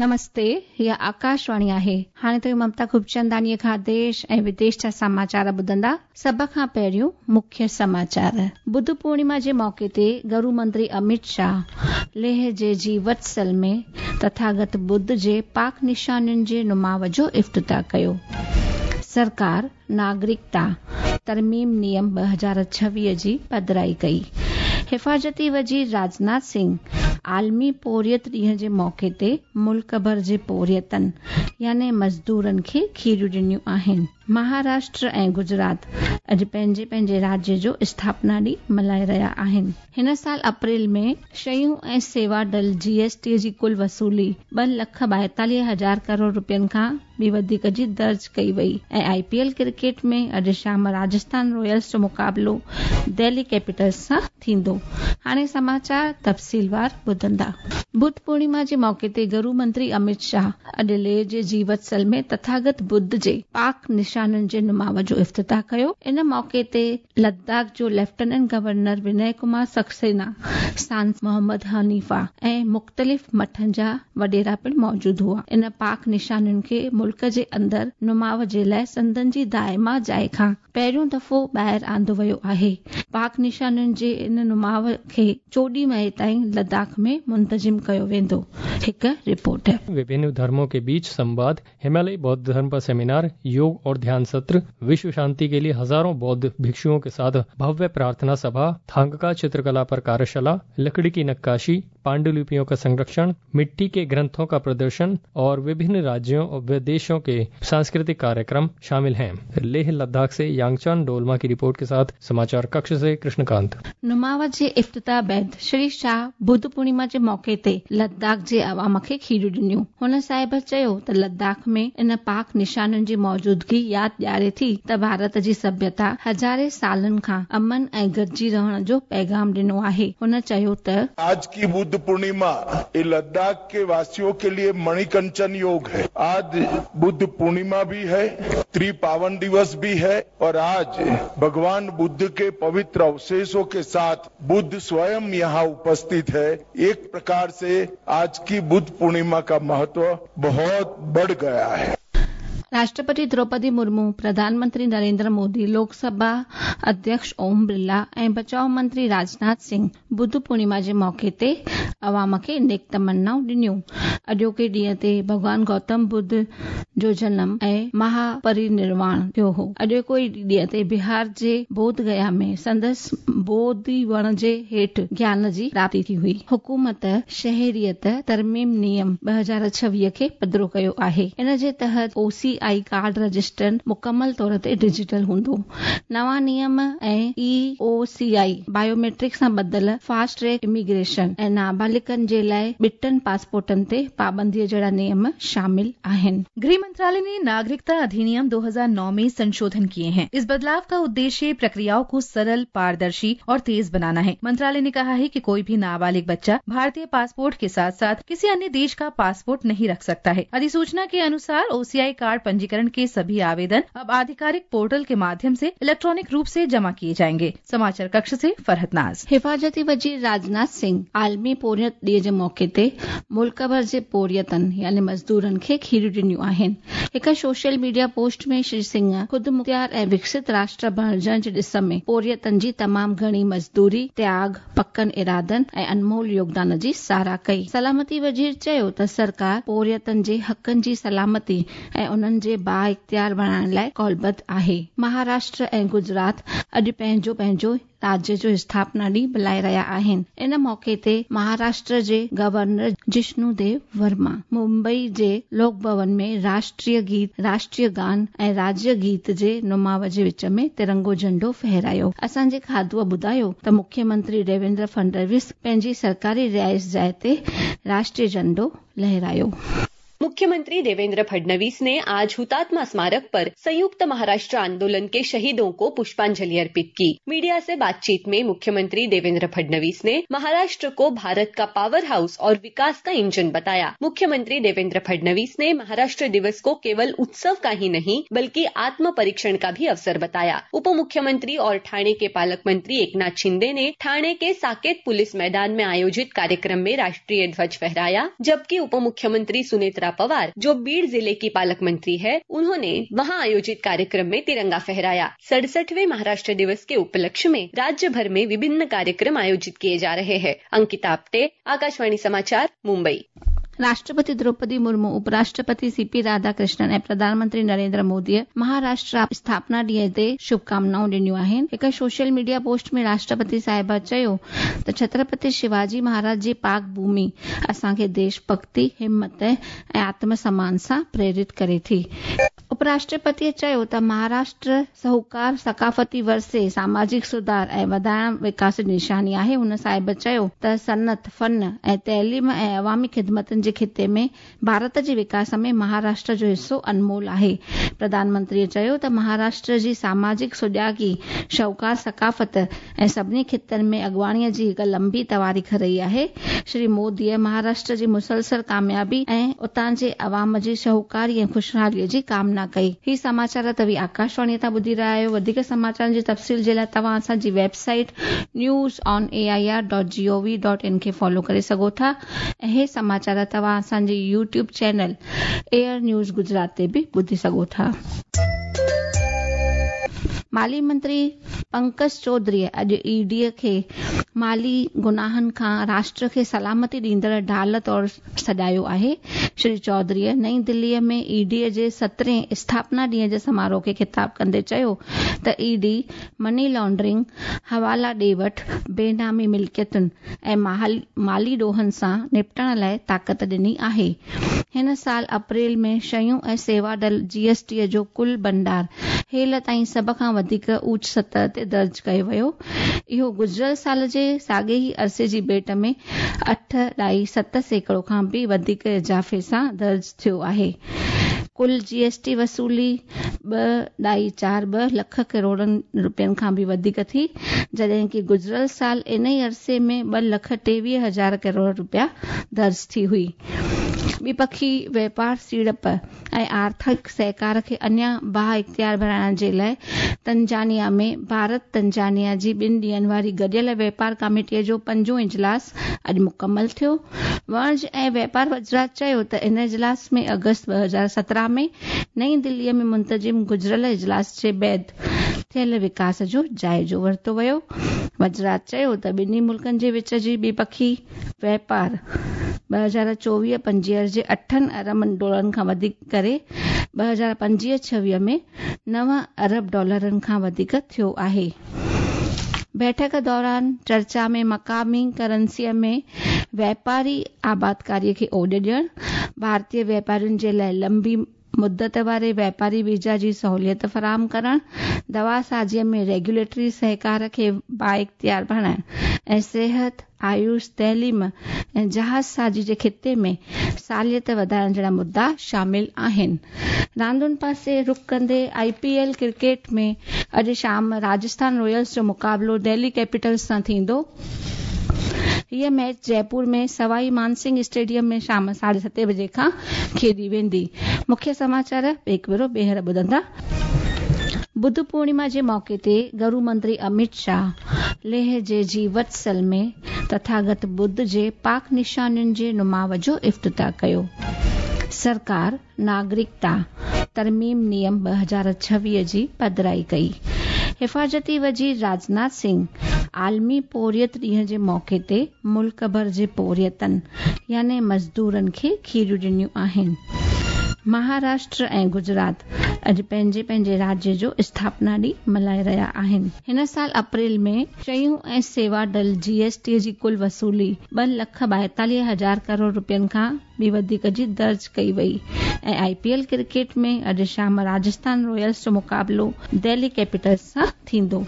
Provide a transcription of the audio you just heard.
نمستي، هيء آڪاشواڻي آهي. هاڻي توهين ممتا خوبچنداڻيء کان ديش ۽ وديش جا سماچار ٻڌندا. سڀ کان پهريون مکيه سماچار. ٻڌ پورڻما جي موقعي تي گرو منتري اميت شاهه ليهه جي جيوتسل ۾ تٿاگت ٻڌ جي پاڪ نشانين جي نماء جو افتتاح ڪيو. سرڪار ناگرڪتا ترميم نيم 2026 جي پڌرائي ڪئي. حفاظتي وزير راجناٿ سنگهه عالمي پورهيت ڏينهن جي موقعي تي ملڪ ڀر جي پورهيتن يعني مزدورن کي کيريون ڏنيون آهن. مهاراشٽر ۽ گجرات اڄ پنهنجي پنهنجي راجيه جو اسٿاپنا ڏينهن ملهائي رهيا آهن. هن سال اپريل ۾ شيون ۽ سيوا ڊل، جي ايس ٽي، جي ڪل وصولي 2,42,000 ڪروڙ رپين کان به وڌيڪ جي درج ڪئي وئي ۽ آء پي ايل ڪرڪيٽ ۾ اڄ شام راجسٿان رائلز جو مقابلو دهلي ڪيپيٽلز سان ٿيندو. هاڻي سماچار تفصيلوار ٻڌندا. ٻڌ پورڻما جي موقعي تي گرو منتري اميت شاهه اڄ ليهه جي جيوتسل ۾ تٿاگت ٻڌ جي پاڪ نشانين جي نماء جو افتتاح ڪيو. ان موقعي تي لداخ جو ليفٽيننٽ گورنر ونئي ڪمار سڪسينا، سانسد محمد حنيفه ۽ مختلف مٺن جا وڏيرا پڻ موجود هئا. ان پاڪ نشانين کي ملڪ جي اندر نماء جي لاء سندن جي دائما جاء کان پهريون دفعو ٻاهر آندو ويو آهي. پاڪ نشانين جي ان نماء کي 14 مئي تائين لداخ ۾ منتظم ڪيو ويندو. هڪ رپورٽ. विभिन्न धर्मों के बीच संवाद हिमालयी बौद्ध धर्म पर सेमिनार, योग और ध्यान सत्र, विश्व शांति के लिए हजारों बौद्ध भिक्षुओं के साथ भव्य प्रार्थना सभा, थांगका चित्रकला पर कार्यशाला, लकड़ी की नक्काशी, पांडुलिपियों का संरक्षण, मिट्टी के ग्रंथों का प्रदर्शन और विभिन्न राज्यों और विदेशों के सांस्कृतिक कार्यक्रम शामिल हैं। लेह लद्दाख से यांगचान डोलमा की रिपोर्ट के साथ समाचार कक्ष से कृष्णकांत। नुमाव जे इफ्तिताह بعد شري شاهه ٻڌ پورڻما جي موقعي تي لداخ جي عوام کي کيريون ڏنيون. هن صاحب چيو ته لداخ ۾ ان پاڪ نشانين جي موجودگي ياد ڏياري ٿي ته ڀارت جي سڀيتا هزارين سالن کان امن ۽ گڏجي رهڻ جو پيغام ڏنو آهي. هن چيو ته. آج ڪي ٻڌ پورڻما هي لداخ ڪي واسيون ڪي ليي مڻي ڪنچن يوگ هي. آج ٻڌ پورڻما ڀي هي، تري پاون دوس ڀي هي اور آج ڀڳوان ٻڌ ڪي پوتر اوشيشون ڪي ساٿ बुद्ध स्वयं यहाँ उपस्थित है। एक प्रकार से आज की बुद्ध पूर्णिमा का महत्व बहुत बढ़ गया है। راشٽرپتي دروپدي مرمو، پرڌان منتري نريندر مودي، لوڪ سڀا اڌيڪش اوم برلا ۽ بچاء منتري راجناٿ سنگهه ٻڌ پورڻما جي موقعي تي عوام کي نيڪ تمنائون ڏنيون. اڄوڪي ڏينهن تي ڀڳوان گوتم ٻڌ جو جنم ۽ مها پرينرواڻ ٿيو هو. اڄوڪي ئي ڏينهن تي بهار جي بوڌ گيا ۾ سندس بوڌي وڻ جي هيٺ گيان جي پراپتي ٿي هئي. حڪومت شهريت ترميم نيم 2026 کي پڌرو ڪيو آهي. ان جي تحت او سي I card register مڪمل طور تي ڊجيٽل هوندو. نوان نيم ۽ اي او سي آء بايوميٽرڪ سان ٻڌل فاسٽ ٽريڪ اميگريشن ۽ نابالغن جي لاء ٻٽن پاسپورٽن تي پابندي جهڙا نيم شامل آهن. गृह मंत्रालय ने नागरिकता अधिनियम 2009 में संशोधन किए हैं। इस बदलाव का उद्देश्य प्रक्रियाओं को सरल, पारदर्शी और तेज बनाना है। मंत्रालय ने कहा है कि कोई भी नाबालिग बच्चा भारतीय पासपोर्ट के साथ साथ किसी अन्य देश का पासपोर्ट नहीं रख सकता है। अधिसूचना के अनुसार ओसीआई कार्ड पंजीकरण के सभी आवेदन अब आधिकारिक पोर्टल के माध्यम से इलेक्ट्रॉनिक रूप से जमा किए जाएंगे। समाचार कक्ष से फरहत नाज। हिफाज़ती वज़ीर राजनाथ सिंह आलमी पोरियत ॾींहं जे मौक़े ते मुल्क भर जे पोरियतनि यानी मज़दूरनि खे खीरियूं ॾिनियूं आहिनि। हिकु social media post ۾ Shri Singh ख़ुदमुख़्तियार ऐं विकसित राष्ट्र बणिजण जे ॾिस में पोरियतनि जी तमाम घणी मज़दूरी, त्याग, पकनि इरादनि ऐं अनमोल योगदान जी साराह कई। सलामती वज़ीर चयो त सरकार पोरियतनि जे हक़नि जी सलामती ऐं उन्हनि जे बाइख़्तियार बणाइण लाइ क़ौलबद्ध आहे। महाराष्ट्र ऐं गुजरात अॼु पंहिंजो पंहिंजो राज्य जो स्थापना ॾींहुं मल्हाए रहिया आहिनि। इन मौक़े ते महाराष्ट्र जे गवर्नर जिष्णु देव वर्मा मुंबई जे लोक भवन में राष्ट्रीय गीत, राष्ट्रीय गान ऐं राज्य गीत जे नुमाव जे विच में तिरंगो झंडो फहरायो। असांजे खादूअ ॿुधायो त मुख्यमंत्री देवेंद्र फडणवीस पंहिंजी सरकारी रिहाइश जाइ ते राष्ट्रीय झंडो लहरायो। मुख्य मुख्यमंत्री देवेंद्र फडणवीस ने आज हुतात्मा स्मारक पर संयुक्त महाराष्ट्र आंदोलन के शहीदों को पुष्पांजलि अर्पित की। मीडिया से बातचीत में मुख्यमंत्री देवेंद्र फडणवीस ने महाराष्ट्र को भारत का पावर हाउस और विकास का इंजन बताया। मुख्यमंत्री देवेंद्र फडणवीस ने महाराष्ट्र दिवस को केवल उत्सव का ही नहीं बल्कि आत्म परीक्षण का भी अवसर बताया। उप मुख्यमंत्री और ठाणे के पालक मंत्री एकनाथ शिंदे ने ठाणे के साकेत पुलिस मैदान में आयोजित कार्यक्रम में राष्ट्रीय ध्वज फहराया, जबकि उप मुख्यमंत्री सुनेत्रा पवार, जो बीड़ जिले की पालक मंत्री है, उन्होंने वहां आयोजित कार्यक्रम में तिरंगा फहराया। 67वें महाराष्ट्र दिवस के उपलक्ष्य में राज्य भर में विभिन्न कार्यक्रम आयोजित किए जा रहे हैं। अंकिता आप्टे, आकाशवाणी समाचार, मुंबई। राष्ट्रपति द्रौपदी मुर्मू, उपराष्ट्रपति सीपी राधाकृष्णन ऐं प्रधानमंत्री नरेंद्र मोदीअ महाराष्ट्र स्थापना ॾींहं ते शुभकामनाऊं ॾिनियूं आहिनि। हिकु सोशल मीडिया पोस्ट में राष्ट्रपति साहिबा चयो त छत्रपति शिवाजी महाराज जी पाक भूमि असांखे देशभक्ति, हिमत ऐं आत्मसम्मान सां प्रेरित करे थी। उपराष्ट्रपतीअ चयो त महाराष्ट्र साहूकार, सकाफ़ती वरसे, सामाजिक सुधार ऐं वधाइण विकास जी निशानी आहे। हुन साहिब चयो त सनत, फन ऐं तइलीम ऐं अवामी ख़िदमतुनि जे खिते में भारत जे विकास में महाराष्ट्र जो हिसो अनमोल आहे। प्रधानमंत्रीअ चयो त महाराष्ट्र जी सामाजिक सुजागी, शाहूकार सकाफ़त ऐं सभिनी खितनि में अॻुवाणीअ जी हिकु लंबी तवारीख़ रही आहे। श्री मोदीअ महाराष्ट्र जी मुसलसल कामयाबी ऐं उतां जे अवाम जी शाहूकारी ऐं ख़ुशहालीअ जी कामना कई। ही समाचार तव्हीं आकाशवाणीअ तां ॿुधी रहिया आहियो। वधीक समाचारनि जी तफ़सील जे लाइ तव्हां असांजी वेबसाइट newsonair.gov.in खे फॉलो करे सघो था ऐं हे समाचार तव्हां असांजे YouTube channel AIR news Gujarat ते बि ॿुधी सघो था। माली मंत्री पंकज चौधरीअ अॼु ईडीअ खे माली गुनाहनि खां राष्ट्र खे सलामती ॾींदड़ ढाल तौर सॾायो आहे। श्री चौधरीअ नई दिल्लीअ में ईडीअ जे 17वें स्थापना ॾींहं जे समारोह खे ख़िताब कंदे चयो त ईडी मनी लॉन्ड्रिंग, हवाला ॾे वठ, बेनामी मिल्कियतुनि ऐं माली ॾोहनि सां निपटण लाइ ताक़त ॾिनी आहे। हिन साल अप्रैल में शयूं ऐं सेवा दल जीएसटी जो कुल भंडार हेल ताईं सभ खां वधीक ऊच सतह ते दर्ज कयो वियो। इहो गुज़िरियल साल जे साॻे ई अरसे जी भेंट में 8.7% खां बि वधीक इज़ाफ़े सां दर्ज थियो आहे। कुल जीएसटी वसूली 2.42 लख करोड़नि रुपयनि खां बि वधीक थी, जॾहिं की गुज़िरियल साल इन ई अरसे में 2,23,000 करोड़ रुपया दर्ज थी हुई। ॿिपखी वापार, सीड़प ऐं आर्थिक सहकार खे अञा बाइख़्तियार बणाइण जे लाइ तंजानिया में भारत तंजानिया जी ॿिनि ॾींहनि वारी गॾियल वापार कमेटीअ जो पंजों इजलास अॼु मुकमल थियो। वणिज ऐं वापार वज़ारत चयो त इन इजलास में अगस्त 2017 में नई दिल्लीअ में मुंतज़िम गुज़िरियल इजलास जे बाद थियल विकास जो जाइज़ो वरितो वियो। वज़ारत चयो त ॿिन्ही मुल्कनि जे विच जी ॿिपखी वापार 2024-25 जे 8 अरब डॉलरनि खां वधीक करे 2025-26 में 9 अरब डॉलरनि खां वधीक थियो आहे। बैठक दौरान चर्चा में मक़ामी करेंसीअ में व्यापारी आबादकारीअ खे ओॾ ॾियण, भारतीय व्यापारियुनि जे लाइ लंबी मुदत वारे व्यापारी वीज़ा जी सहूलियत फराहम करण, दवा साज़ीअ में रेगुलेटरी सहकार खे बाइख़्तियार बणाइण ऐं सिहत, आयुष, तइलीम ऐं जहाज़ साज़ी जे खिते में सालियत वधाइण जहिड़ा मुद्दा शामिल आहिनि। रांदुनि पासे रुख कंदे आईपीएल क्रिकेट में अॼु शाम राजस्थान रॉयल्स जो मुक़ाबिलो दिल्ली कैपिटल्स सां थींदो। हीअ मैच जयपुर में सवाई मानसिंह स्टेडियम में शाम 7:30 बजे खां खेॾी वेंदी। मुख्य समाचार हिकु भेरो ॿीहर ॿुधंदा। बुद्ध पूर्णिमा जे मौक़े ते गृह मंत्री अमित शाह लेह जे जीवत्सल में तथागत बुद्ध जे पाक निशानियुनि जे नुमाव जो इफ्तिताह कयो। सरकार नागरिकता तरमीम नियम 2026 जी पधराई कई। हिफाज़ती वज़ीर राजनाथ सिंह आलमी पोरियत ॾींहं जे मौक़े ते मुल्क भर जे पोरियतनि यानी मज़दूरनि खे खीरियूं ॾिनियूं आहिनि। महाराष्ट्र ऐं गुजरात अॼु पंहिंजे पंहिंजे राज्य जो स्थापना ॾींहुं मल्हाए रहिया आहिनि। हिन साल अप्रैल में शयूं ऐं सेवा डल जीएसटी जी कुल वसूली 2,42,000 करोड़ रुपयनि खां बि वधीक जी दर्ज कई वई ऐं आईपीएल क्रिकेट में अॼु शाम राजस्थान रॉयल्स जो मुक़ाबिलो दिल्ली कैपिटल्स सां थींदो।